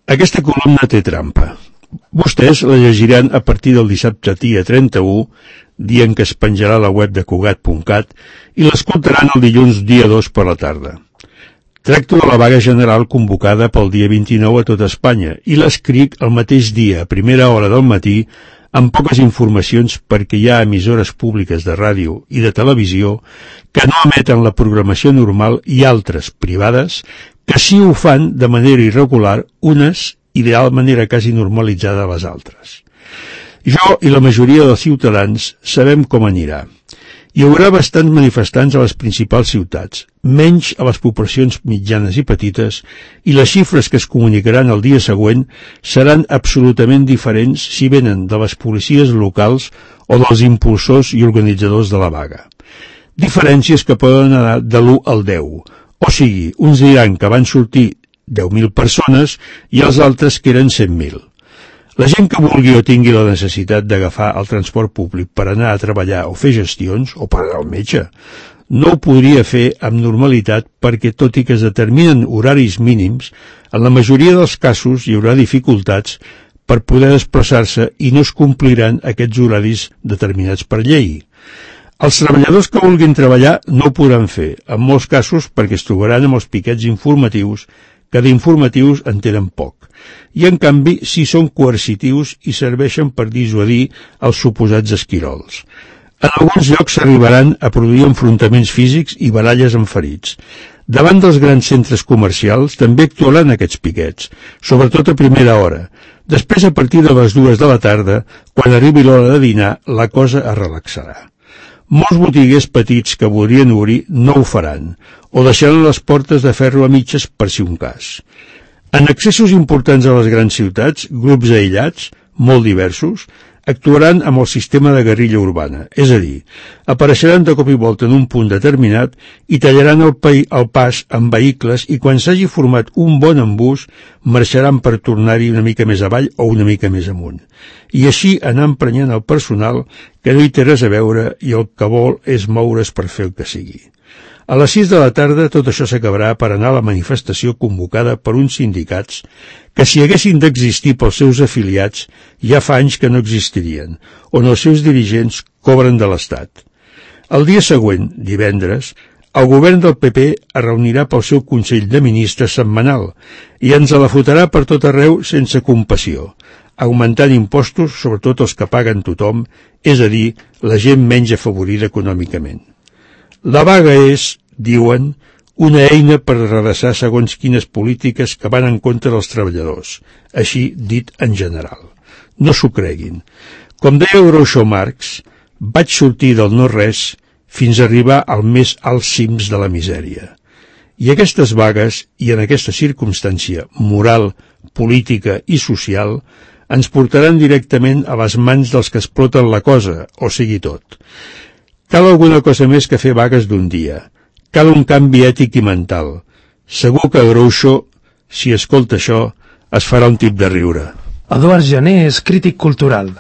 Aquesta columna té trampa. Vostès la llegiran a partir del dissabte dia 31, dia en què es penjarà a la web de Cugat.cat, i l'escoltaran el dilluns dia 2 per la tarda. Tracto de la vaga general convocada pel dia 29 a tot Espanya i l'escric el mateix dia, a primera hora del matí, amb poques informacions perquè hi ha emissores públiques de ràdio i de televisió que no emeten la programació normal i altres, privades, que sí ho fan de manera irregular, unes i de manera quasi normalitzada a les altres. Jo i la majoria dels ciutadans sabem com anirà. Hi haurà bastants manifestants a les principals ciutats, menys a les poblacions mitjanes i petites, i les xifres que es comunicaran el dia següent seran absolutament diferents si venen de les policies locals o dels impulsors i organitzadors de la vaga. Diferències que poden anar de l'1 al 10, o sigui, uns diran que van sortir 10.000 persones i els altres que eren 100.000. La gent que vulgui o tingui la necessitat d'agafar el transport públic per anar a treballar o fer gestions, o per anar al metge, no ho podria fer amb normalitat perquè, tot i que es determinen horaris mínims, en la majoria dels casos hi haurà dificultats per poder desplaçar-se i no es compliran aquests horaris determinats per llei. Els treballadors que vulguin treballar no ho podran fer, en molts casos perquè es trobaran amb els piquets informatius, que d'informatius en tenen poc, i en canvi sí són coercitius i serveixen per dissuadir els suposats esquirols. En alguns llocs s'arribaran a produir enfrontaments físics i baralles amb ferits. Davant dels grans centres comercials també actuaran aquests piquets, sobretot a primera hora. Després, a partir de les 2 de la tarda, quan arribi l'hora de dinar, la cosa es relaxarà. Molts botiguers petits que voldrien obrir no ho faran, o deixaran les portes de ferro a mitges per si un cas. En accessos importants a les grans ciutats, grups aïllats, molt diversos, actuaran amb el sistema de guerrilla urbana, és a dir, apareixeran de cop i volta en un punt determinat i tallaran el pas amb vehicles i quan s'hagi format un bon embús marxaran per tornar-hi una mica més avall o una mica més amunt. I així anar emprenyant el personal que no hi té res a veure i el que vol és moure's per fer el que sigui. A les 6 de la tarda tot això s'acabarà per anar a la manifestació convocada per uns sindicats que si haguessin d'existir pels seus afiliats ja fa anys que no existirien, on els seus dirigents cobren de l'Estat. El dia següent, divendres, el govern del PP es reunirà pel seu Consell de Ministres setmanal i ens la fotrà per tot arreu sense compassió, augmentant impostos, sobretot els que paguen tothom, és a dir, la gent menys afavorida econòmicament. La vaga és, diuen, una eina per redreçar segons quines polítiques que van en contra dels treballadors, així dit en general. No s'ho creguin. Com deia Groucho Marx, vaig sortir del no-res fins a arribar al més alts cims de la misèria. I aquestes vagues, i en aquesta circumstància moral, política i social, ens portaran directament a les mans dels que exploten la cosa, o sigui tot. Cal alguna cosa més que fer vagues d'un dia. Cal un canvi ètic i mental. Segur que Groucho, si escolta això, es farà un tip de riure. Eduard Jané és crític cultural.